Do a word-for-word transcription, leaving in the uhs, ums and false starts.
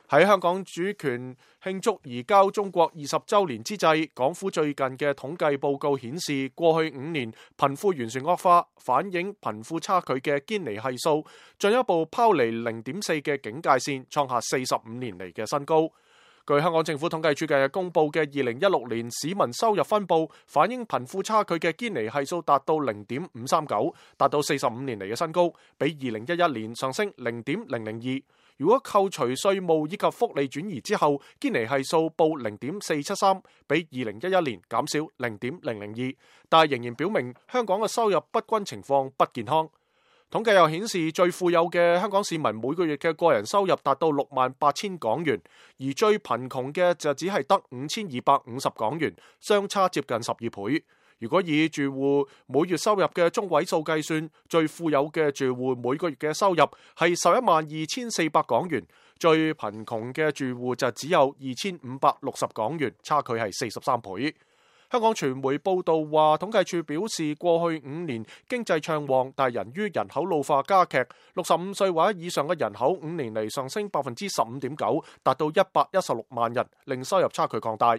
喺香港主權慶祝移交中國二十週年之際，港府最近嘅統計報告顯示，過去五年貧富懸殊惡化，反映貧富差距嘅堅尼係數進一步拋離零點四嘅警戒線，創下四十五年嚟嘅新高。據香港政府統計處近日公布嘅二零一六年市民收入分佈，反映貧富差距嘅堅尼係數達到零點五三九，達到四十五年嚟嘅新高，比二零一一年上升零點零零二。如果扣除稅務以及福利轉移之後，堅尼係數報零點四七三，比二零一一年減少零點零零二，但係仍然表明香港嘅收入不均情況不健康。統計又顯示，最富有嘅香港市民每個月嘅個人收入達到六萬八千港元，而最貧窮嘅就只係得五千二百五十港元，相差接近十二倍。如果以住戶每月收入嘅中位數計算，最富有嘅住戶每個月嘅收入係十一萬二千四百港元，最貧窮嘅住戶就只有二千五百六十港元，差距係四十三倍。香港傳媒報道話，統計處表示，過去五年經濟暢旺，但係由於人口老化加劇，六十五歲或者以上嘅人口五年嚟上升百分之十五點九，達到一百一十六萬人，令收入差距擴大。